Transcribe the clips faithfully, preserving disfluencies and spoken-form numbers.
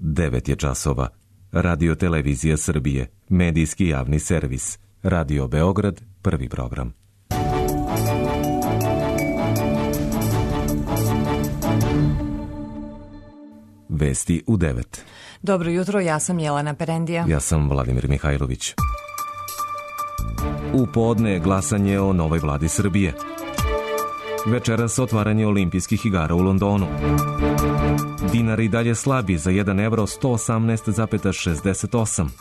devet je časova. Radio Televizija Srbije, medijski javni servis. Radio Beograd, prvi program. Vesti u devet. Dobro jutro, ja sam Jelena Perendija. Ja sam Vladimir Mihajlović. U podne glasanje o novoj vladi Srbije. Večeras otvaranje olimpijskih igara u Londonu. Dinar i dalje slabi za jedan evro sto osamnaest zarez šezdeset osam.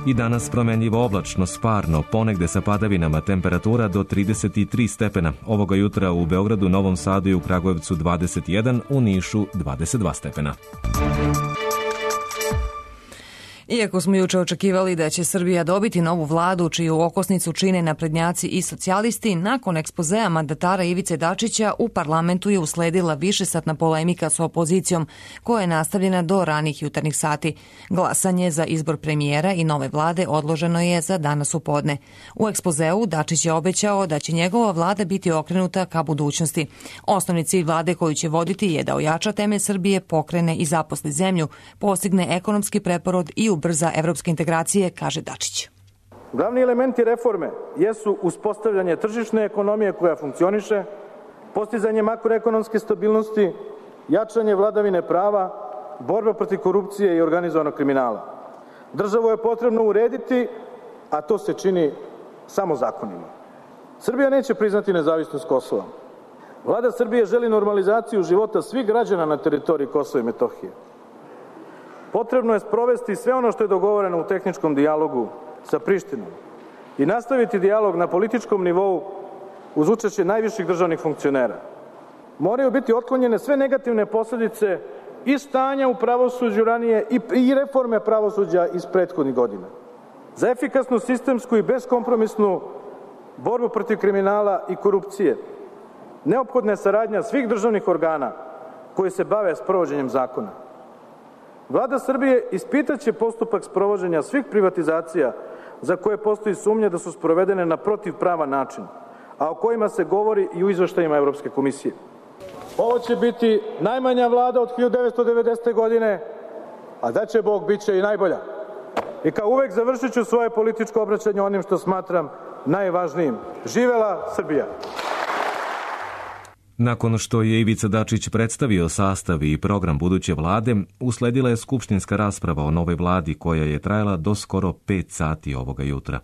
I danas promenljivo oblačno, sparno, ponegde sa padavinama, temperatura do trideset tri stepena. Ovoga jutra u Beogradu, Novom Sadu i u Kragujevcu dvadeset jedan, u Nišu dvadeset dva stepena. Iako smo juče očekivali da će Srbija dobiti novu vladu čiju okosnicu čine naprednjaci i socijalisti, nakon ekspozea mandatara Ivice Dačića u parlamentu je usledila višesatna polemika s opozicijom koja je nastavljena do ranih jutarnjih sati. Glasanje za izbor premijera i nove vlade odloženo je za danas u podne. U ekspozeu Dačić je obećao da će njegova vlada biti okrenuta ka budućnosti. Osnovni cilj vlade koju će voditi je da ojača temelj Srbije, pokrene i zaposli zemlju, postigne ekonomski preporod i ubrza evropske integracije, kaže Dačić. Glavni elementi reforme jesu uspostavljanje tržišne ekonomije koja funkcioniše, postizanje makroekonomske stabilnosti, jačanje vladavine prava, borba protiv korupcije i organizovanog kriminala. Državu je potrebno urediti, a to se čini samo zakonima. Srbija neće priznati nezavisnost Kosova. Vlada Srbije želi normalizaciju života svih građana na teritoriji Kosova i Metohije. Potrebno je sprovesti sve ono što je dogovoreno u tehničkom dijalogu sa Prištinom i nastaviti dijalog na političkom nivou uz učešće najviših državnih funkcionera. Moraju biti otklonjene sve negativne posljedice i stanja u pravosuđu ranije i reforme pravosuđa iz prethodnih godina. Za efikasnu, sistemsku i beskompromisnu borbu protiv kriminala i korupcije neophodna je saradnja svih državnih organa koji se bave sprovođenjem zakona. Vlada Srbije ispitaće postupak sprovođenja svih privatizacija za koje postoji sumnja da su sprovedene na protivpravan način, a o kojima se govori i u izveštajima Evropske komisije. Ovo će biti najmanja vlada od hiljadu devetsto devedesete. godine, a da će Bog, bit će i najbolja. I kao uvek završit ću svoje političko obraćanje onim što smatram najvažnijim. Živela Srbija! Nakon što je Ivica Dačić predstavio sastav i program buduće vlade, usledila je skupštinska rasprava o novoj vladi koja je trajala do skoro pet sati ovoga jutra.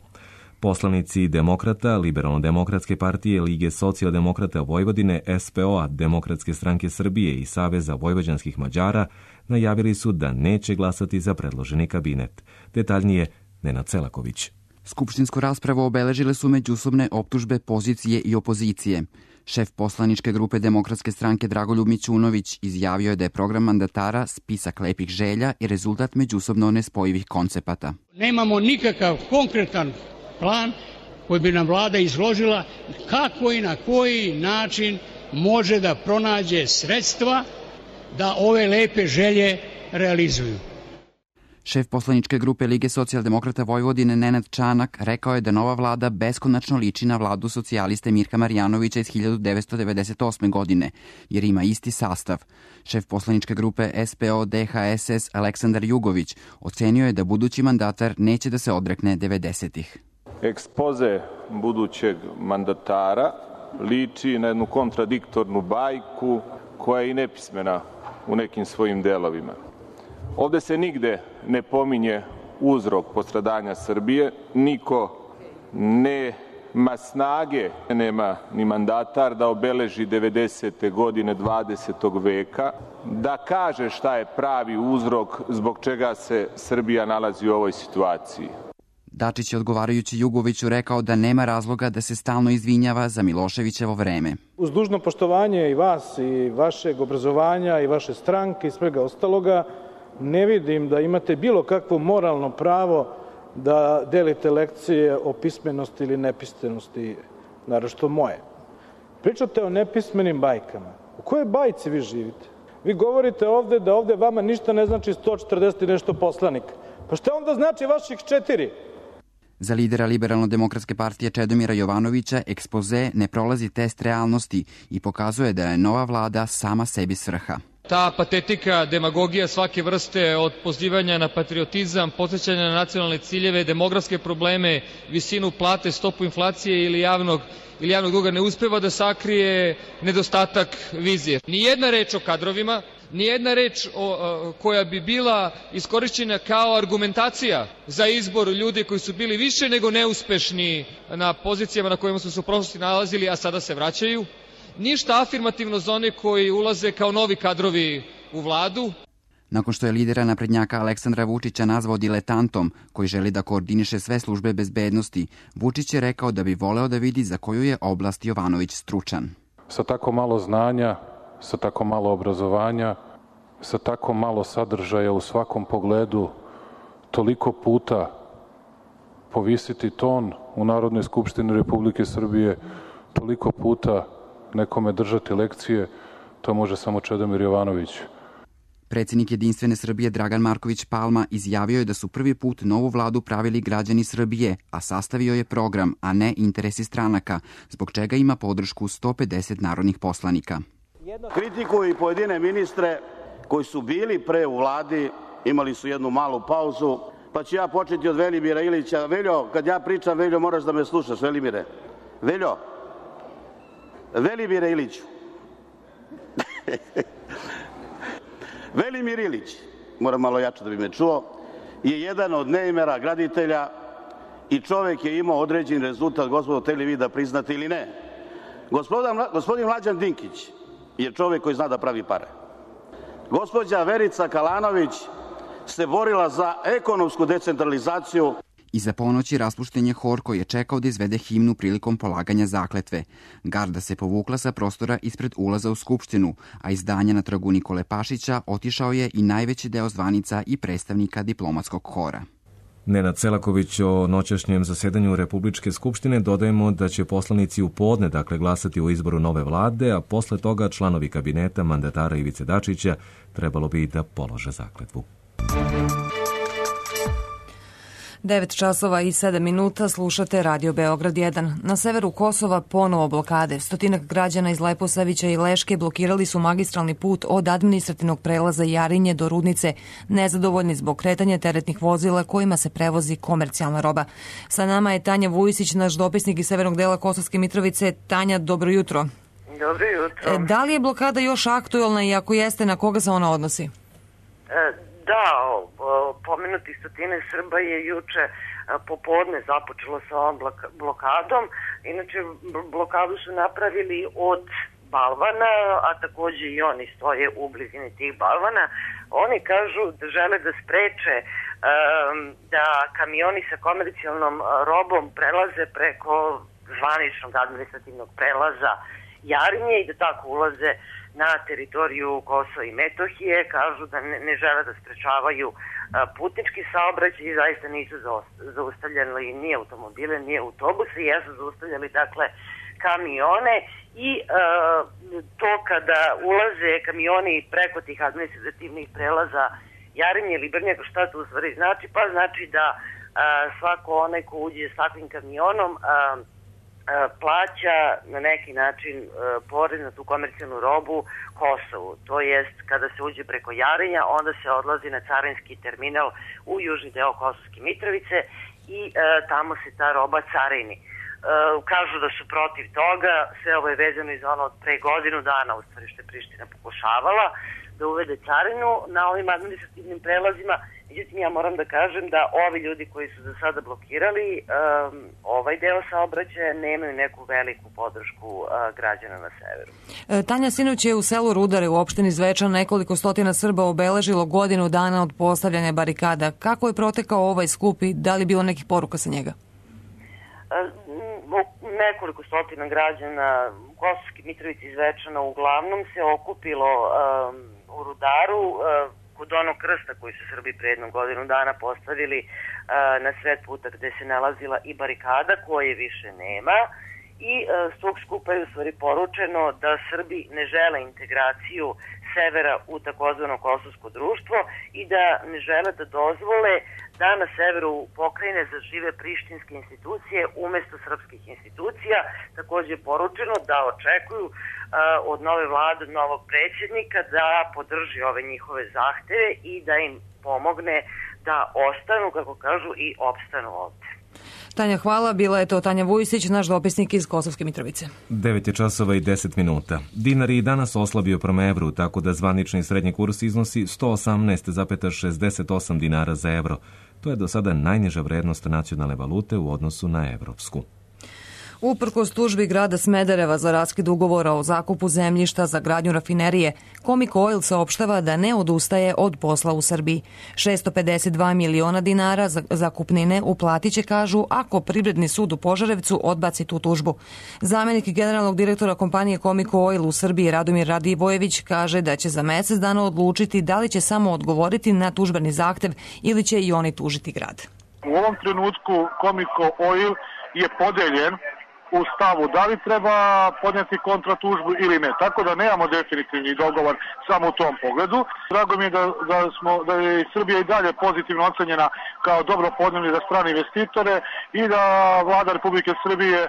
Poslanici Demokrata, Liberalno-demokratske partije, Lige socijaldemokrata Vojvodine, S P O-a, Demokratske stranke Srbije i Saveza vojvođanskih Mađara najavili su da neće glasati za predloženi kabinet. Detaljnije, Nenad Selaković. Skupštinsku raspravu obeležile su međusobne optužbe pozicije i opozicije. Šef poslaničke grupe Demokratske stranke Dragoljub Mićunović izjavio je da je program mandatara spisak lepih želja i rezultat međusobno nespojivih koncepata. Nemamo nikakav konkretan plan koji bi nam vlada izložila kako i na koji način može da pronađe sredstva da ove lepe želje realizuju. Šef poslaničke grupe Lige socijaldemokrata Vojvodine Nenad Čanak rekao je da nova vlada beskonačno liči na vladu socijaliste Mirka Marjanovića iz hiljadu devetsto devedeset osme. godine, jer ima isti sastav. Šef poslaničke grupe S P O D H S S Aleksandar Jugović ocenio je da budući mandatar neće da se odrekne devedesetih. Ekspoze budućeg mandatara liči na jednu kontradiktornu bajku koja je i nepismena u nekim svojim delovima. Ovde se nigde ne pominje uzrok postradanja Srbije, niko nema snage, nema ni mandatar da obeleži devedesete godine dvadesetog veka, da kaže šta je pravi uzrok zbog čega se Srbija nalazi u ovoj situaciji. Dačić je odgovarajući Jugoviću rekao da nema razloga da se stalno izvinjava za Miloševićevo vreme. Uz dužno poštovanje i vas i vašeg obrazovanja i vaše stranke i svega ostaloga, ne vidim da imate bilo kakvo moralno pravo da delite lekcije o pismenosti ili nepismenosti, naročito moje. Pričate o nepismenim bajkama. U kojoj bajci vi živite? Vi govorite ovde da ovde vama ništa ne znači sto četrdeset i nešto poslanika. Pa šta onda znači vaših četiri? Za lidera Liberalno-demokratske partije Čedomira Jovanovića ekspoze ne prolazi test realnosti i pokazuje da je nova vlada sama sebi svrha. Ta patetika, demagogija svake vrste od pozivanja na patriotizam, podsjećanja na nacionalne ciljeve, demografske probleme, visinu plate, stopu inflacije ili javnog, ili javnog duga ne uspeva da sakrije nedostatak vizije. Nijedna reč o kadrovima, nijedna reč o, koja bi bila iskorišćena kao argumentacija za izbor ljudi koji su bili više nego neuspešni na pozicijama na kojima su se u prošlosti nalazili, a sada se vraćaju. Ništa afirmativno za one koji ulaze kao novi kadrovi u vladu. Nakon što je lidera naprednjaka Aleksandra Vučića nazvao diletantom koji želi da koordiniše sve službe bezbednosti, Vučić je rekao da bi voleo da vidi za koju je oblast Jovanović stručan. Sa tako malo znanja, sa tako malo obrazovanja, sa tako malo sadržaja u svakom pogledu, toliko puta povisiti ton u Narodnoj skupštini Republike Srbije, toliko puta nekome držati lekcije, to može samo Čedomir Jovanović. Predsjednik Jedinstvene Srbije Dragan Marković Palma izjavio je da su prvi put novu vladu pravili građani Srbije, a sastavio je program, a ne interesi stranaka, zbog čega ima podršku sto pedeset narodnih poslanika. Kritikuju i pojedine ministre koji su bili pre u vladi, imali su jednu malu pauzu, pa ću ja početi od Velimira Ilića. Veljo, kad ja pričam, Veljo, moraš da me slušaš, Velimire. Veljo, Velimire Iliću. Velimir Ilić, moram malo jače da bi me čuo, je jedan od neimera graditelja i čovek je imao određen rezultat, gospodo, hteli vi da priznate ili ne. Gospodin, gospodin Mlađan Dinkić je čovek koji zna da pravi pare. Gospođa Verica Kalanović se borila za ekonomsku decentralizaciju. Iza ponoći raspušten je hor koji je čekao da izvede himnu prilikom polaganja zakletve. Garda se povukla sa prostora ispred ulaza u Skupštinu, a iz zdanja na trgu Nikole Pašića otišao je i najveći deo zvanica i predstavnika diplomatskog hora. Nenad Selaković o noćašnjem zasedanju Republičke skupštine dodajemo da će poslanici u podne dakle glasati o izboru nove vlade, a posle toga članovi kabineta mandatara Ivice Dačića trebalo bi da polože zakletvu. devet časova i sedam minuta, slušate Radio Beograd jedan. Na severu Kosova ponovo blokade. Stotinak građana iz Leposavića i Leške blokirali su magistralni put od administrativnog prelaza Jarinje do Rudnice, nezadovoljni zbog kretanja teretnih vozila kojima se prevozi komercijalna roba. Sa nama je Tanja Vujisić, naš dopisnik iz severnog dela Kosovske Mitrovice. Tanja, dobro jutro. Dobro jutro. Da li je blokada još aktuelna i ako jeste, na koga se ona odnosi? E, Da, pomenuti stotine Srba je juče popodne započelo sa ovom blokadom. Inače, blokadu su napravili od balvana, a takođe i oni stoje u blizini tih balvana. Oni kažu da žele da spreče um, da kamioni sa komercijalnom robom prelaze preko zvaničnog administrativnog prelaza Jarinje i da tako ulaze na teritoriju Kosova i Metohije. Kažu da ne, ne žele da sprečavaju a, putnički saobraćaj i zaista nisu zaustavljali ni automobile, ni autobuse, jesu zaustavljali dakle kamione i a, to kada ulaze kamioni preko tih administrativnih prelaza Jarinje ili Brnjaka, šta to u stvari znači? Pa znači da a, svako onaj ko uđe s takvim kamionom a, plaća na neki način porez na tu komercijalnu robu Kosovu. To jest, kada se uđe preko Jarinja, onda se odlazi na carinski terminal u južni deo Kosovske Mitrovice i e, tamo se ta roba carini. E, kažu da su protiv toga, sve ovo je vezano iz ono od pre godinu dana, u stvari što je Priština pokušavala da uvede carinu na ovim administrativnim prelazima. Međutim, ja moram da kažem da ovi ljudi koji su za sada blokirali um, ovaj deo saobraćaja nemaju neku veliku podršku uh, građana na severu. E, Tanja, sinoć je u selu Rudare u opštini Zvečan nekoliko stotina Srba obeležilo godinu dana od postavljanja barikada. Kako je protekao ovaj skup i da li je bilo nekih poruka sa njega? E, nekoliko stotina građana Kosovske Mitrovice i Zvečana uglavnom se okupilo um, u Rudaru uh, kod onog krsta koji su Srbi pre jednom godinu dana postavili uh, na sred puta gde se nalazila i barikada koje više nema i uh, s tog skupa je u stvari poručeno da Srbi ne žele integraciju severa u takozvano kosovsko društvo i da ne žele da dozvole da na severu pokrajine zažive prištinske institucije umesto srpskih institucija. Takođe je poručeno da očekuju uh, od nove vlade, od novog predsjednika da podrži ove njihove zahteve i da im pomogne da ostanu, kako kažu, i opstanu ovde. Tanja, hvala. Bila je to Tanja Vujsić, naš dopisnik iz Kosovske Mitrovice. devet je časova i deset minuta. Dinar je i danas oslabio prema evru, tako da zvanični srednji kurs iznosi sto osamnaest zarez šezdeset osam dinara za evro. To je do sada najniža vrednost nacionalne valute u odnosu na evropsku. Uprkos tužbi grada Smedereva za raskid ugovora o zakupu zemljišta za gradnju rafinerije, Comic Oil saopštava da ne odustaje od posla u Srbiji. šesto pedeset dva miliona dinara zakupnine uplatit će, kažu, ako Privredni sud u Požarevcu odbaci tu tužbu. Zamenik generalnog direktora kompanije Comic Oil u Srbiji Radomir Radivojević kaže da će za mesec dana odlučiti da li će samo odgovoriti na tužbeni zahtev ili će i oni tužiti grad. U ovom trenutku Comic Oil je podeljen u stavu da li treba podnijeti kontratužbu ili ne. Tako da nemamo definitivni dogovor samo u tom pogledu. Drago mi je da, da, smo, da je Srbija i dalje pozitivno ocenjena kao dobro podnijeli za strane investitore i da vlada Republike Srbije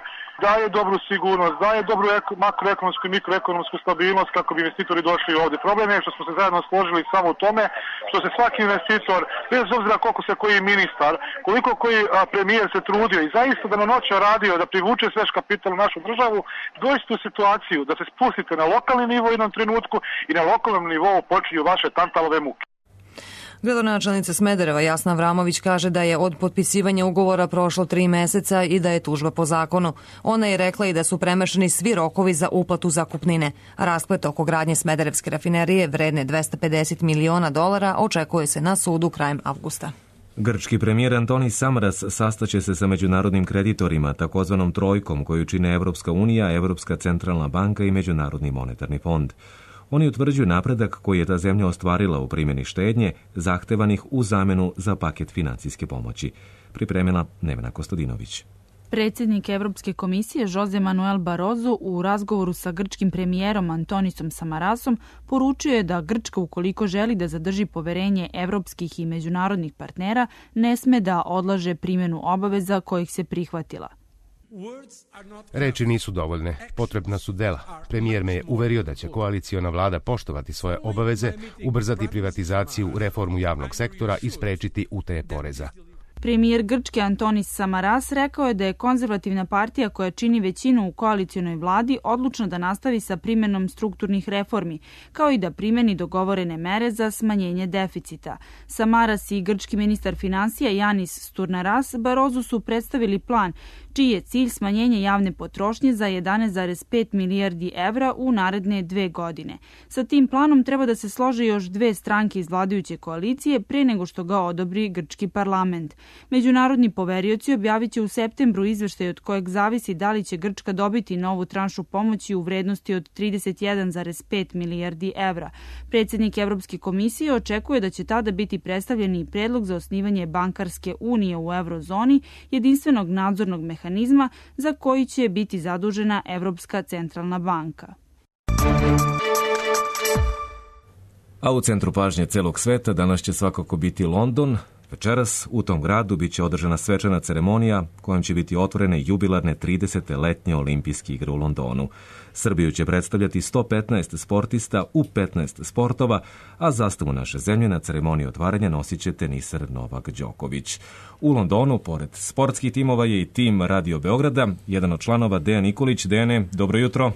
daje dobru sigurnost, daje dobru makroekonomsku i mikroekonomsku stabilnost kako bi investitori došli ovde. Problem je što smo se zajedno složili samo u tome što se svaki investitor, bez obzira koliko se koji ministar, koliko koji premijer se trudio i zaista da na noća radio da privuče svež kapital u našu državu, dođete u situaciju da se spustite na lokalni nivo u jednom trenutku i na lokalnom nivou počinju vaše tantalove muke. Gradonačelnica Smedereva Jasna Avramović kaže da je od potpisivanja ugovora prošlo tri meseca i da je tužba po zakonu. Ona je rekla i da su premašeni svi rokovi za uplatu zakupnine. Rasplet oko gradnje Smederevske rafinerije vredne dvesta pedeset miliona dolara očekuje se na sudu krajem avgusta. Grčki premijer Antonis Samaras sastaće se sa međunarodnim kreditorima, takozvanom trojkom koju čine Evropska unija, Evropska centralna banka i Međunarodni monetarni fond. Oni utvrđuju napredak koji je ta zemlja ostvarila u primjeni štednje zahtevanih u zamenu za paket financijske pomoći. Pripremila Nevena Kostadinović. Predsjednik Evropske komisije Jose Manuel Barroso u razgovoru sa grčkim premijerom Antonisom Samarasom poručio je da Grčka, ukoliko želi da zadrži poverenje evropskih i međunarodnih partnera, ne sme da odlaže primjenu obaveza kojih se prihvatila. Reči nisu dovoljne, potrebna su dela. Premijer me je uverio da će koaliciona vlada poštovati svoje obaveze, ubrzati privatizaciju, reformu javnog sektora i sprečiti utaje poreza. Premijer Grčke Antonis Samaras rekao je da je konzervativna partija koja čini većinu u koalicionoj vladi odlučna da nastavi sa primjenom strukturnih reformi, kao i da primjeni dogovorene mere za smanjenje deficita. Samaras i grčki ministar finansija Yanis Sturnaras Barrosu su predstavili plan čiji je cilj smanjenje javne potrošnje za jedanaest zarez pet milijardi evra u naredne dve godine. Sa tim planom treba da se slože još dve stranke iz vladajuće koalicije pre nego što ga odobri grčki parlament. Međunarodni poverioci objavit će u septembru izveštaj od kojeg zavisi da li će Grčka dobiti novu tranšu pomoći u vrednosti od trideset jedan zarez pet milijardi evra. Predsjednik Evropske komisije očekuje da će tada biti predstavljen i predlog za osnivanje bankarske unije u eurozoni, jedinstvenog nadzornog mehanizma za koji će biti zadužena Evropska centralna banka. A u centru pažnje celog sveta danas će svakako biti London. Večeras u tom gradu biće održana svečana ceremonija kojom će biti otvorene jubilarne tridesete letnje olimpijske igre u Londonu. Srbiju će predstavljati sto petnaest sportista u petnaest sportova, a zastavu naše zemlje na ceremoniji otvaranja nosit će teniser Novak Đoković. U Londonu, pored sportskih timova, je i tim Radio Beograda, jedan od članova Dejan Nikolić. Dejane, dobro jutro.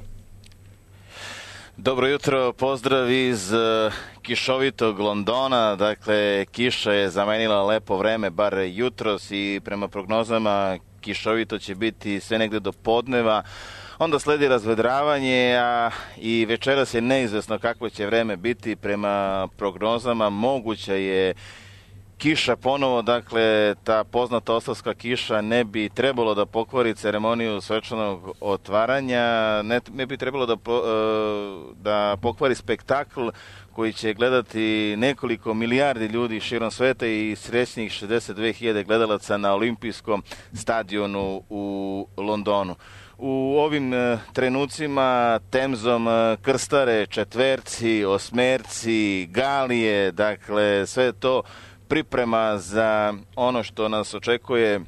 Dobro jutro, pozdrav iz uh, kišovitog Londona. Dakle, kiša je zamenila lepo vreme, bar jutros, i prema prognozama kišovito će biti sve negde do podneva. Onda sledi razvedravanje, a i večeras je neizvesno kakvo će vreme biti. Prema prognozama moguća je kiša ponovo, dakle ta poznata oslavska kiša ne bi trebalo da pokvari ceremoniju svečanog otvaranja, ne, ne bi trebalo da, po, da pokvari spektakl koji će gledati nekoliko milijardi ljudi širom sveta i srećnih šezdeset dve hiljade gledalaca na olimpijskom stadionu u Londonu. u ovim trenucima Temzom krstare četverci, osmerci, galije, dakle sve to priprema za ono što nas očekuje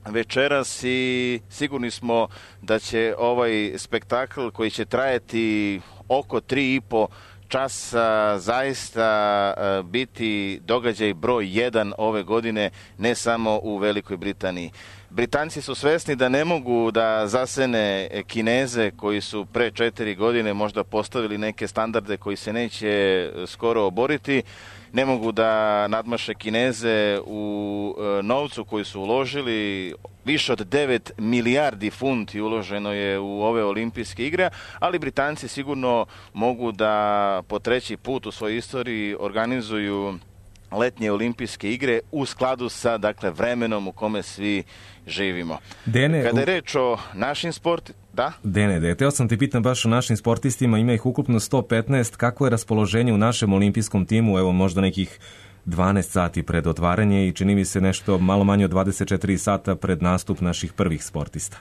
večeras i sigurni smo da će ovaj spektakl koji će trajati oko tri i po časa zaista biti događaj broj jedan ove godine, ne samo u Velikoj Britaniji. Britanci su svesni da ne mogu da zasene Kineze koji su pre četiri godine možda postavili neke standarde koji se neće skoro oboriti. Ne mogu da nadmaše Kineze u novcu koji su uložili. Više od devet milijardi funti uloženo je u ove olimpijske igre, ali Britanci sigurno mogu da po treći put u svojoj istoriji organizuju letnje olimpijske igre u skladu sa dakle vremenom u kome svi živimo. Dene, Kada je reč o našim sport, da? Dene, de, teo sam ti pitam baš o našim sportistima, ima ih ukupno sto petnaest, kako je raspoloženje u našem olimpijskom timu, evo možda nekih dvanaest sati pred otvaranje i čini mi se nešto malo manje od dvadeset četiri sata pred nastup naših prvih sportista.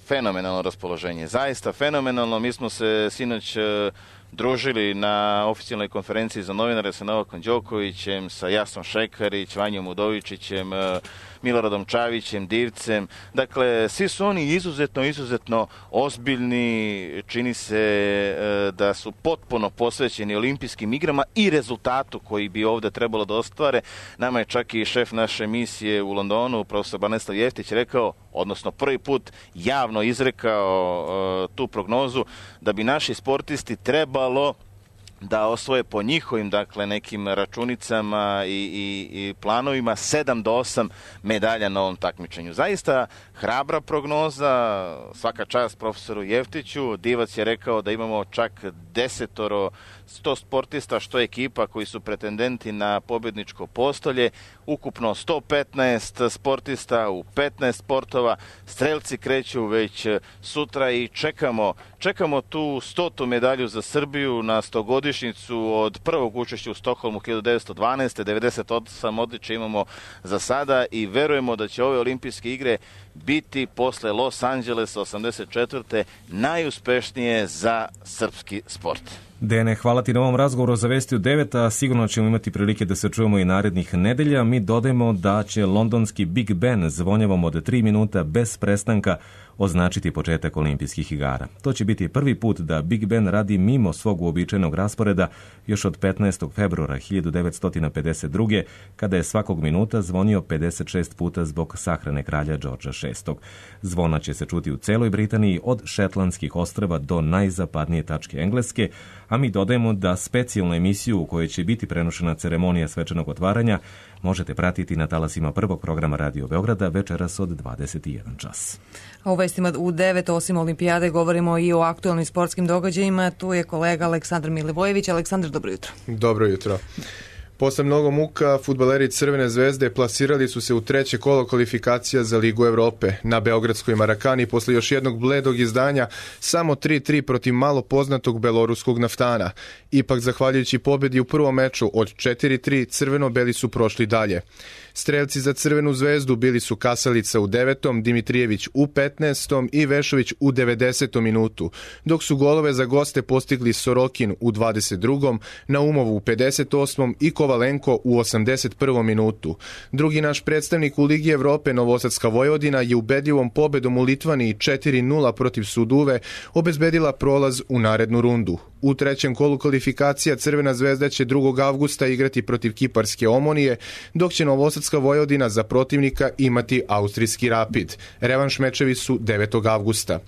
Fenomenalno raspoloženje, zaista fenomenalno. Mi smo se sinoć družili na oficijalnoj konferenciji za novinare sa Novakom Đokovićem, sa Jasnom Šekarić, Vanjom Udovičićem, Miloradom Čavićem, Divcem. Dakle, svi su oni izuzetno, izuzetno ozbiljni, čini se da su potpuno posvećeni olimpijskim igrama i rezultatu koji bi ovde trebalo da ostvare. Nama je čak i šef naše misije u Londonu, profesor Branislav Jeftić, rekao, odnosno prvi put javno izrekao uh, tu prognozu, da bi naši sportisti trebalo da osvoje po njihovim, dakle, nekim računicama i, i, i planovima sedam do osam medalja na ovom takmičenju. Zaista hrabra prognoza, svaka čast profesoru Jeftiću. Divac je rekao da imamo čak desetoro sto sportista, što ekipa koji su pretendenti na pobjedničko postolje, ukupno sto petnaest sportista u petnaest sportova. Strelci kreću već sutra i čekamo, čekamo tu stotu medalju za Srbiju na stogodišnjicu od prvog učešća u Stokholmu hiljadu devetsto dvanaeste. devedeset osam odličja imamo za sada i verujemo da će ove olimpijske igre biti posle Los Angelesa osamdeset četvrte najuspešnije za srpski sport. Dene, hvala ti na ovom razgovoru za Vesti u devet, a sigurno ćemo imati prilike da se čujemo i narednih nedelja. Mi dodajemo da će londonski Big Ben zvonjavom od tri minuta bez prestanka označiti početak olimpijskih igara. To će biti prvi put da Big Ben radi mimo svog uobičajenog rasporeda još od petnaestog februara hiljadu devetsto pedeset druge. kada je svakog minuta zvonio pedeset šest puta zbog sahrane kralja Đorđa šestog. Zvona će se čuti u celoj Britaniji od Šetlandskih ostrva do najzapadnije tačke Engleske, a mi dodajemo da specijalnu emisiju u kojoj će biti prenošena ceremonija svečanog otvaranja možete pratiti na talasima prvog programa Radio Beograda večeras od dvadeset jedan čas. A u vestima u devet, osim olimpijade, govorimo i o aktualnim sportskim događajima. Tu je kolega Aleksandar Milivojević. Aleksandar, dobro jutro. Dobro jutro. Posle mnogo muka, fudbaleri Crvene zvezde plasirali su se u treće kolo kvalifikacija za Ligu Evrope. Na beogradskoj Marakani, posle još jednog bledog izdanja, samo tri tri protiv malo poznatog beloruskog Naftana. Ipak, zahvaljujući pobedi u prvom meču od četiri tri, crveno-beli su prošli dalje. Strelci za Crvenu zvezdu bili su Kasalica u devetom, Dimitrijević u petnaestom i Vešović u devedesetom minutu, dok su golove za goste postigli Sorokin u dvadeset drugom, Naumov u pedeset osmom i Kovalenko u osamdeset prvom minutu. Drugi naš predstavnik u Ligi Evrope, Novosadska Vojvodina, je ubedljivom pobedom u Litvaniji četiri nula protiv Suduve obezbedila prolaz u narednu rundu. U trećem kolu kvalifikacija Crvena zvezda će drugog avgusta igrati protiv Kiparske Omonije, dok će Novosadska Vojvodina za protivnika imati austrijski Rapid. Revanš mečevi su devetog avgusta.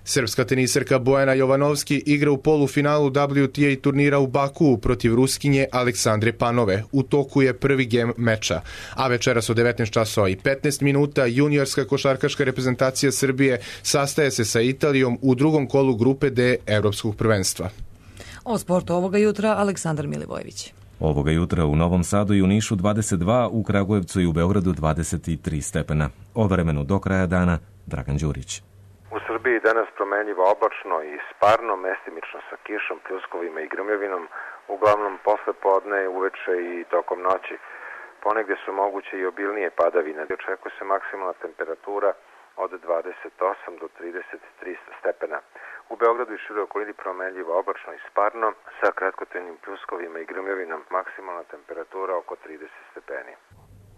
Srpska teniserka Bojana Jovanovski igra u polufinalu W T A turnira u Bakuu protiv Ruskinje Aleksandre Panove. U toku je prvi gem meča. A večeras od devetnaest časova i petnaest minuta juniorska košarkaška reprezentacija Srbije sastaje se sa Italijom u drugom kolu grupe D Evropskog prvenstva. O sportu ovoga jutra Aleksandar Milivojević. Ovoga jutra u Novom Sadu i u Nišu dvadeset dva, u Kragujevcu i u Beogradu dvadeset tri stepena. O vremenu do kraja dana Dragan Đurić. U Srbiji danas promenljivo oblačno i sparno, mestimično sa kišom, pljuskovima i grmljavinom, uglavnom posle podne, uveče i tokom noći. Ponegde su moguće i obilnije padavine. Očekuje se maksimalna temperatura od dvadeset osam do trideset tri stepena. U Beogradu i široj okolini promenljivo oblačno i sparno sa kratkotrajnim pljuskovima i grmljavinom, maksimalna temperatura oko trideset stepeni.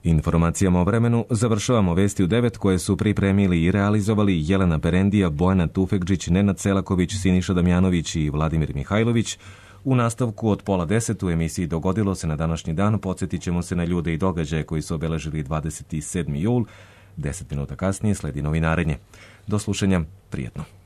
Informacijama o vremenu završavamo vesti u devet koje su pripremili i realizovali Jelena Perendija, Bojana Tufekđić, Nenad Selaković, Siniša Damjanović i Vladimir Mihajlović. U nastavku od pola deset u emisiji Dogodilo se na današnji dan podsjetit ćemo se na ljude i događaje koji su obeležili dvadeset sedmi jul. Deset minuta kasnije sledi novinarenje. Do slušanja, prijetno.